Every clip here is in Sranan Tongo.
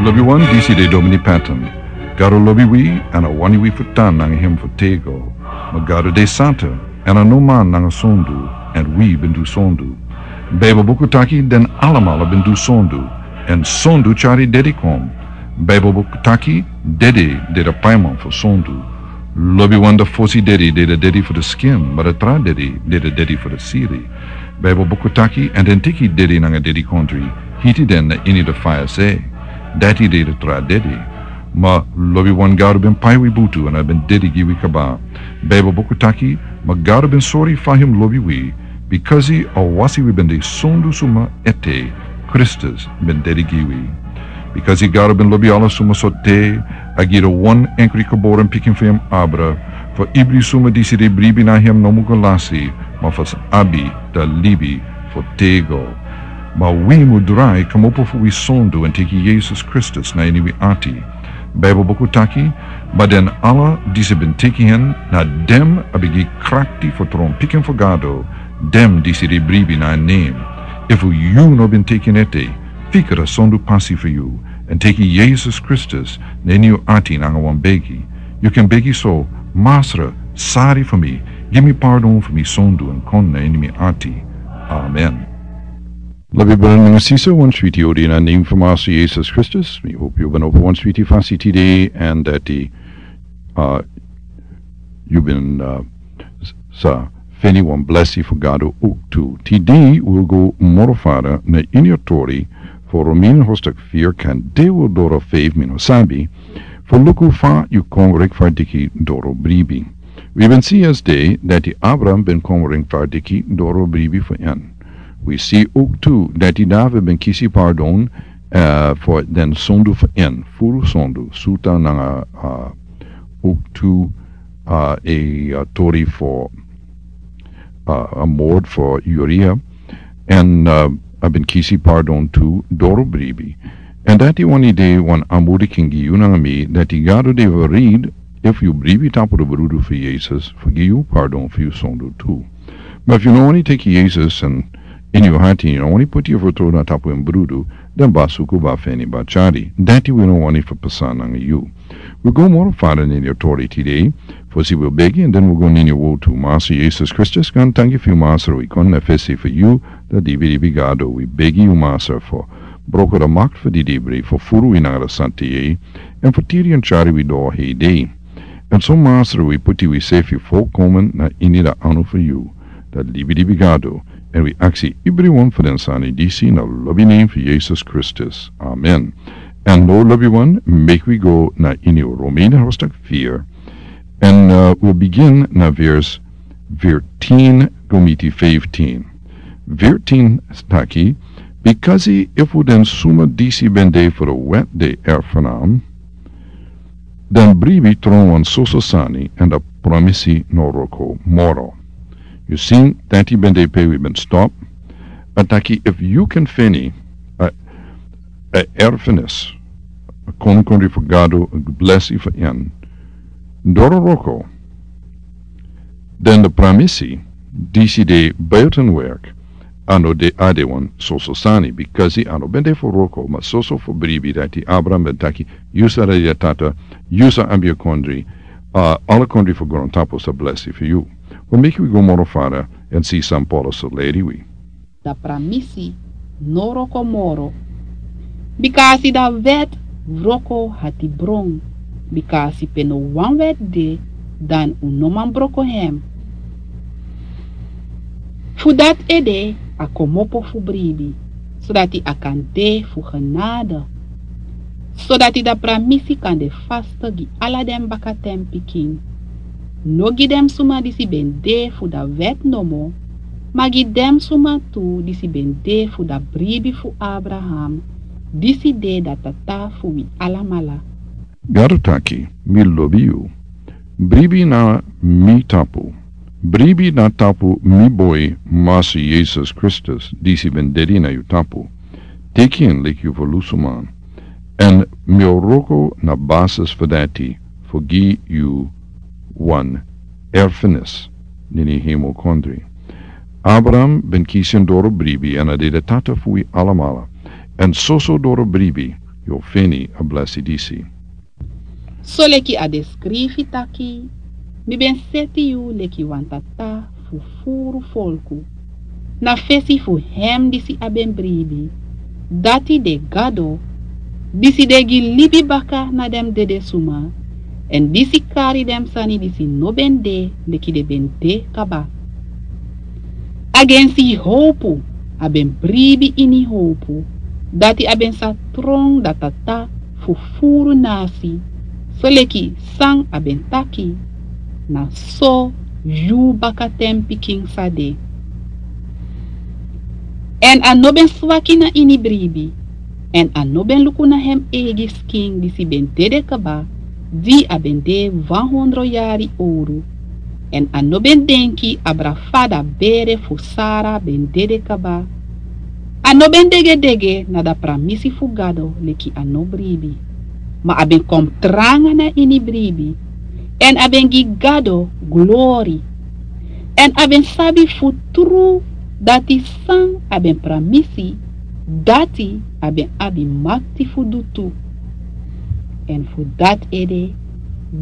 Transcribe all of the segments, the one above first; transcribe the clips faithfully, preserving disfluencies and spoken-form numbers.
Lobi wan, disi de Domini Patton. Gado lobi wi, èn a wani wi fu tan nanga hem fu tego. Ma Gado de santa, èn a no man nanga sondu, èn wi ben du sondu. Baibel buku taki den alamala ben du sondu, èn sondu tyari dedi kon. Baibel buku taki dedi de de paiman fu sondu. Lobi wan, de fosi dedi de de dedi fu de skin, ma de tra dedi de de dedi fu de siri. Baibel buku taki, èn den teki dedi nanga dedikondri, hiti den na ini de faya se. Dati de de tra dedi. Ma lobi wan, Gado ben pai wi butu èn a ben dedi gi wi kaba. Baibel buku taki, ma Gado ben sori fa hem lobi wi, bikasi a wasi wi ben de sondu suma ete, Kristus ben dedi gi wi. Bikasi Gado ben lobi ala suma so te, a gi de wan enkri geboren pikin fu hem abra, fu ibri suma disi de bribi na hem no mu go lasi, ma fu sa abi de libi fu tego. Ma wi mu drai kmopo fu wi sondu èn teki Yesus Kristus na ini wi ati. Baibel buku taki, ma den ala disi ben teki hen, na den a ben gi krakti fu tron pikin fu Gado, den disi de bribi na en nen. Efu yu no ben teki en ete, fika de sondu pasi fu yu, èn teki Yesus Kristus na ini yu ati nanga wan begi. Yu kan begi so: Masra, sari fu mi, gi mi pardon fu mi sondu èn kon na ini mi ati. Amen. Lobi brada nanga sisa, wan switi odi na nen fu Masra Yesus Kristus. Mi hopi yu ben opo wan switi fasi tide, èn dati, uh, yu ben, uh, s-, sa feni wan blesi fu Gado owktu. Tide wi go moro fara na ini a tori fu Romeini hostak firi, kan de wi doro feifi, mi no sabi, fu luku fa yu kon rekfardiki doro bribi. Wi ben si yesde dati Abraham ben kon rekfardiki doro bribi fu en. Wi si owktu dati David ben kisi pardon, eh, fu den sondu fu en, furu sondu, suta nanga, ah, owktu, ah, e, ah, tori fu, ah, a moord fu Uria, èn, ah, a ben kisi pardon tu doro bribi. Èn dati wani de wan aanmoediging gi yu nanga mi, dati Gado de reed, efu yu bribi tapu de brudu fu Yesus, fu gi yu pardon fu yu sondu tu. Ma efu yu no wani teki Yesus èn ini yu ati, yu no wani poti yu fertrouwen na tapu en brudu, dan ba suku, ba feni, ba tyari. Dati wi no wani fu pasa nanga yu. Wi go moro fara na ini a tori tide, fosi wi begi, èn den wi go na ini a wortu. Masra Yesus Kristus, gaantangi fu yu, Masra, wi kon na fesi fu yu, da dibi dibi Gado, wi begi yu, Masra, fu broko da makti fu didibri, fu furu wi nanga da santa yeye, èn fu tiri èn tyari wi doro hei dei. Èn so, Masra, wi poti wi sefi folkomen na ini da anu fu yu, da dibi dibi Gado, èn wi aksi ibriwan fu den sani disi na lobi nen fu Yesus Kristus. Amen. Èn now, lobiwan, meki wi go na ini Romeini hostak firi. Èn, eh, wi bigin na vers veertien go miti vijftien. Veertien taki, bikasi efu den suma disi ben de fu de wet de erfenaam, dan bribi tron wan soso sani, èn da pramisi no wroko moro. Yu si, dati ben de pe wi ben stop. A taki, efu yu kan feni a, a erfenis, a konikondri fu Gado, a blesi fu en, doro wroko, dan da pramisi disi de buitenwerk, a no de, a de wan soso sani, bikasi a no ben de fu wroko, ma soso fu bribi dati Abraham ben taki, yu sa de yu tata, yu sa abi a kondri, a, ala kondri fu grontapu sa blesi fu yu. Wi meki wi go moro fara èn si san Paulus sa leri wi. Da pramisi no wroko moro. Bikasi da wet wroko hatibron. Bikasi pe no wan wet de, dan un no man broko hem. Fu dati ede a komopo fu bribi, sodati a kan de fu genade. Sodati da pramisi kan de vast gi ala den bakatenpikin. No gi den suma disi ben de fu da wet nomo, ma gi den suma tu disi ben de fu da bribi fu Abraham, disi de da tata fu wi alamala. Gado taki, mi lobi yu. Bribi na mi tapu. Bribi na tapu mi boi, Masra Yesus Kristus, disi ben dedi na yu tapu. Teki en leki yu ferlusuman. Èn mi o wroko na basis fu dati fu gi yu wan erfenis na ini hemelkondri. Abraham ben kisi en doro bribi, èn a de da tata fu wi alamala. Èn soso doro bribi yu o feni a blesi disi. Soleki a de skrifi taki, mi ben seti yu leki wan tata fu furu folku na fesi fu hem disi a ben bribi, dati de Gado, disi de gi libi baka na den dede suma, èn disi kari den sani disi no ben de leki den ben de kaba. Agensi howpu a ben bribi ini howpu, dati a ben sa tron dati a ta fu furu nasi, soleki san a ben taki, na so yu bakatenpikin sa de. Èn a no ben swaki na ini bribi, èn a no ben luku na hem eigi skin disi ben dede kaba, di a ben de wan hondro yari owru, èn a no ben denki abra fa da bere fu Sara ben dede kaba. A no ben degedege na da pramisi fu Gado leki a no bribi, ma a ben kon tranga na ini bribi, èn a ben gi Gado glori, èn a ben sabi fu tru dati san a ben pramisi, dati a ben abi makti fu du tu. Èn fu dati ede,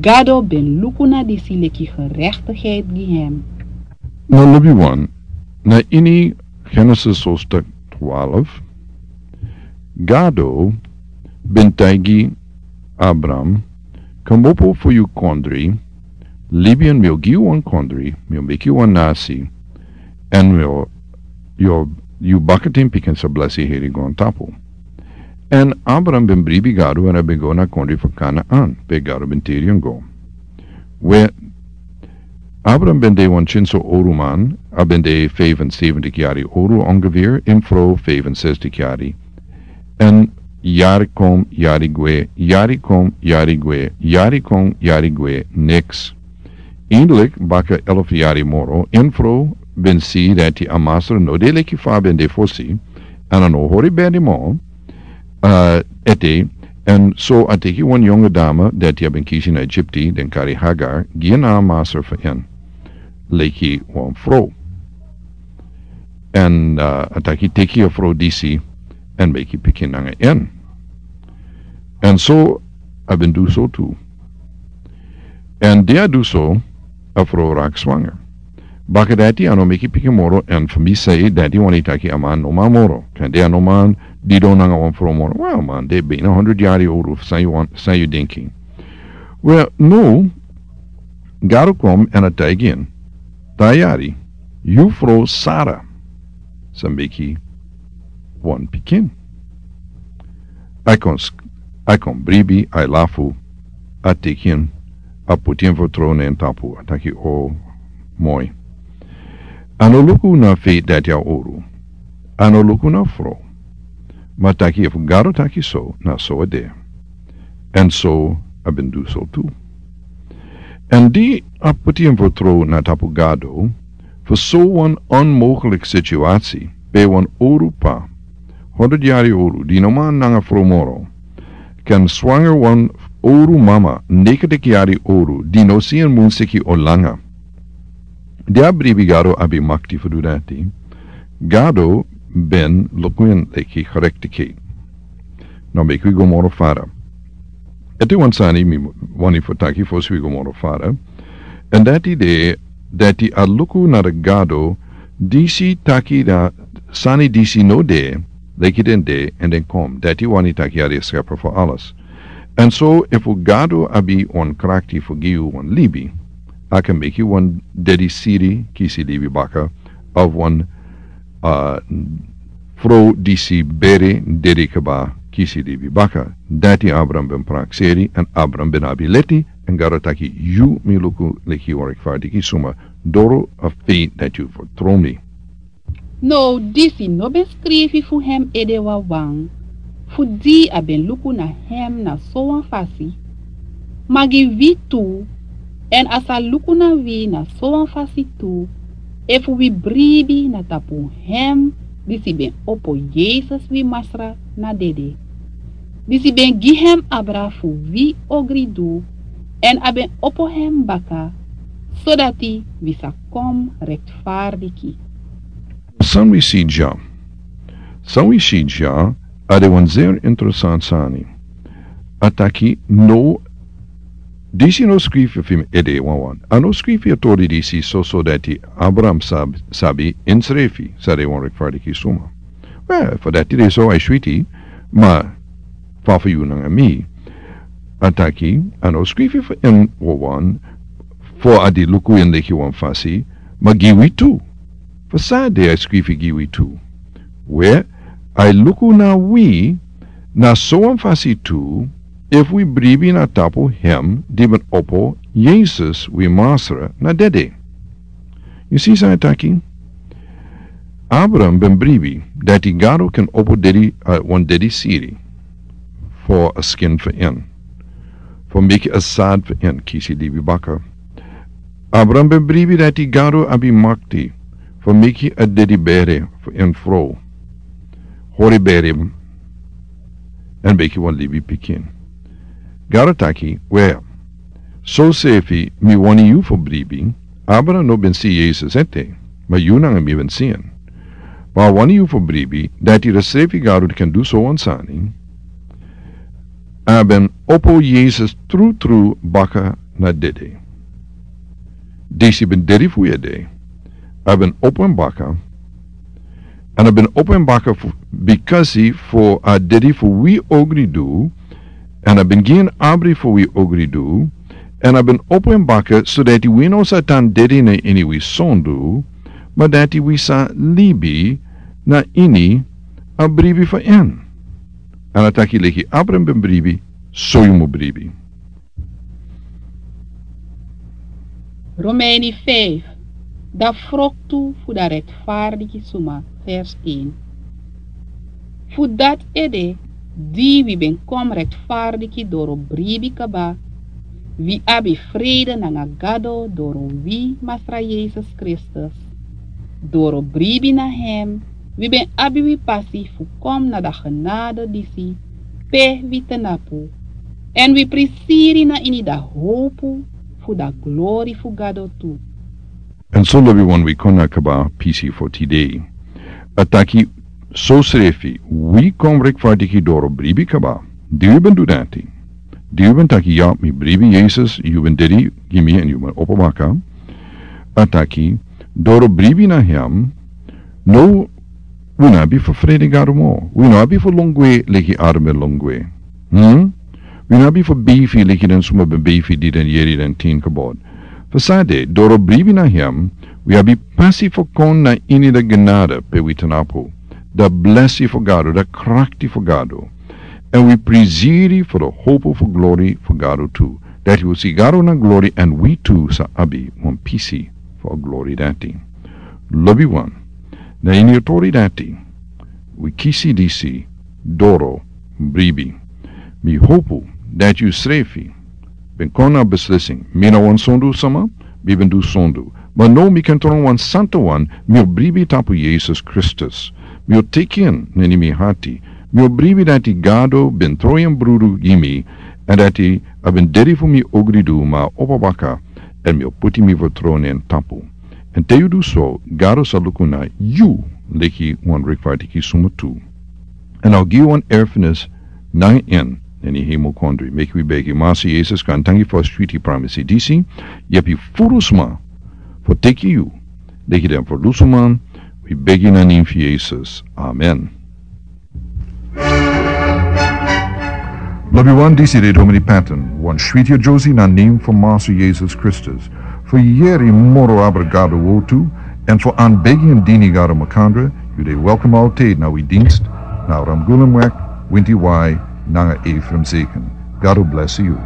Gado ben luku na disi leki gerechtigheid gi hem. Na lobi wan, na ini Genesis hoofdstuk twaalf, Gado ben taigi Abram, komopo fu yu kondri, libi èn mi o gi yu wan kondri, mi o meki yu wan nasi, èn mi o, yu o, yu bakatenpikin sa blesi heri grontapu. Èn Abram ben bribi Gado èn a ben go na kondri fu Kanaan, pe Gado ben tiri en go. We, Abram ben de wan kinso owru man, a ben de vijfenzeventig yari owru ongeveer, en fro vijfenzestig yari. Èn yari kon, yari gwe, yari kon, yari gwe, yari kon, yari gwe, niks. Eindelik baka elf yari moro, en fro ben si dati a masra no de leki fa a ben de fosi, èn a no hori bedi mo, eh, ete, èn so a teki wan yonge dama dati a ben kisi na Egipti, den kari Hagar, gi en na a masra fu en leki wan fro. Èn, eh, a taki teki a fro disi, èn meki pikin nanga en. Èn so a ben du so tu. Èn di a du so, a fro raki swanger. Baka dati a no meki pikin moro, èn fu mi sei dati wani taki a man no man moro. Kande a no man didon nanga wan fro moro. Wel, man de bina honderd yari owru, san yu wan, san yu denki. Wel, no, Gado kon èn a taigi en, dati yari, yu fro Sara sa meki wan pikin. A kon sk-, a kon bribi, a lafu, a teki en, a poti en fu tron na en tapu, a taki o moi. A no luku na fa dati a owru. A no luku na fro. Ma taki efu Gado taki so, na so a de. Èn so a ben du so tu. Èn di a poti en fu tron na tapu Gado, fu so wan onmogelijk situasi, pe wan owru pa, honderd yari owru, di no man nanga fro moro, kan swanger wan owru mama, negentig yari owru, di no si en munsiki o langa. Di a bribi Gado abi makti fu du dati, Gado ben luku en leki gerechtigheid. Now meki wi go moro fara. Ete wan sani mi wani fu taki fosi wi go moro fara. Èn dati de, dati a luku na de Gado, disi taki na sani disi no de, leki den de, èn den kon. Dati wani taki a de scheper fu alles. Èn so, efu Gado abi wan krakti fu gi yu wan libi, a kan meki wan dede siri kisi libi baka, of wan, ah, fro disi bere dede kaba kisi libi baka. Dati Abram ben prakseri, èn Abram ben abi leti, èn Gado taki yu mi luku leki wan rechtvaardige suma, doro a feit dati yu vertrouw mi. Now disi no ben skrifi fu hem ede wawan, fu di a ben luku na hem na sowan fasi. Ma gi wi tu, èn a sa luku na wi na sowan fasi tu, efu wi bribi na tapu hem disi ben opo Yesus wi Masra na dede. Disi ben gi hem abra fu wi ogri du, èn a ben opo hem baka, sodati wi sa kon rechtvaardige. San wi si dya. San wi si dya, a de wan zeer interessant sani. A taki no, disi no skrifi fu mi ede wawan. A no skrifi a tori disi soso dati Abraham sab-, sabi ensrefi san de wan rechtvaardige suma. Wel, fu dati de so a switi, ma fa fu yu nanga mi. A taki, a no skrifi fu en wawan, fu a di luku en leki wan fasi, ma gi wi tu. Fu san de a skrifi gi wi tu. We, a luku na wi, na so wan fasi tu, efu wi bribi na tapu hem di ben opo Yesus wi Masra na dede. Yu si san a taki? Abraham ben bribi dati Gado kan opo dedi, a, wan dedi siri fu a skin fu en. Fu meki a sad fu en kisi libi baka. Abraham ben bribi dati Gado abi makti fu meki a dedi bere fu en frow. Hori bere en meki wan libi pikin. Gado taki, we, so srefi mi wani yu fu bribi, Abraham no ben si Yesus ete, ma yu nanga mi ben si en. Ma a wani yu fu bribi, dati a srefi Gado kan du so wan sani, a ben opo Yesus trutru baka na dede. Disi ben dedi fu ede, a ben opo en baka, èn a ben opo en baka fu, bikasi fu a dedi fu wi ogridu, èn a ben gi en abri fu wi ogridu, èn a ben opo en baka, so dati wi no sa tan dedi na ini wi sondu, ma dati wi sa libi na ini a bribi fu en. Èn a taki leki Abraham ben bribi, so yu mu bribi. Romeini feifi, dan froktu fu dan rektfardiki suma, vers een. Fu dati ede, di wi ben kon rektfardiki doro bribi kaba, wi abi frede nanga Gado doro wi Masra Yesus Kristus. Doro bribi na hem, wi ben abi wi pasi fu kon na dan genade disi, pe wi tnapu. Èn wi prisiri na ini dan howpu fu dan glori fu Gado tu. Èn so lobiwan, wi kon na kaba pisi fu tide. A taki, so srefi wi kon rektfardiki doro bribi kaba. Di wi ben du dati. Di wi ben taki, ya, mi bribi Yesus, yu ben dedi gi mi èn yu ben opo baka. A taki, doro bribi na hem, no, wi no abi fu frede Gado moro. Wi no abi fu lon gwe leki Abraham ben lon gwe. Hmm? Wi no abi fu beifi leki den suma ben beifi di den yere den tin kaba. Fu san de, doro bribi na hem, wi abi pasi fu kon na ini dan genade pe wi tnapu. Dan blesi fu Gado, dan krakti fu Gado. Èn wi prisiri fu dan howpu fu glori fu Gado tu. Dati wi o si Gado na glori èn wi tu sa abi wan pisi fu a glori dati. Lobiwan, na ini a tori dati, wi kisi disi, doro bribi. Mi howpu dati yu srefi ben kon na a beslissing. Mi na wan sondu sama, mi ben du sondu. Ma now mi kan tron wan santa wan, mi o bribi tapu Yesus Kristus. Mi o teki en na ini mi hati. Mi o bribi dati Gado ben tron en brudu gi mi, èn dati a ben dedi fu mi ogridu ma a opo baka, èn mi o poti mi fertrouwen na en tapu. Èn te yu du so, Gado sa luku na yu leki wan rechtvaardige suma tu. Èn a o gi yu wan erfenis nanga en na ini hemelkondre. Meki wi begi. Masra Yesus, gaantangi fu a switi pramisi disi. Yepi furu sma fu teki yu leki den ferlusu man. Wi begi na nen fu Yesus. Amen. Lobiwan, disi de Domini Patton, wan switi a Josie na nen fu Masra Yesus Kristus. Fu yere moro abra Gado wortu, èn fu anbegi èn dini Gado makandra, yu de welkom altijd na wi dienst, na Ramgulumweg, winti wai, nanga Ephraim Zeken. Gado blesi yu.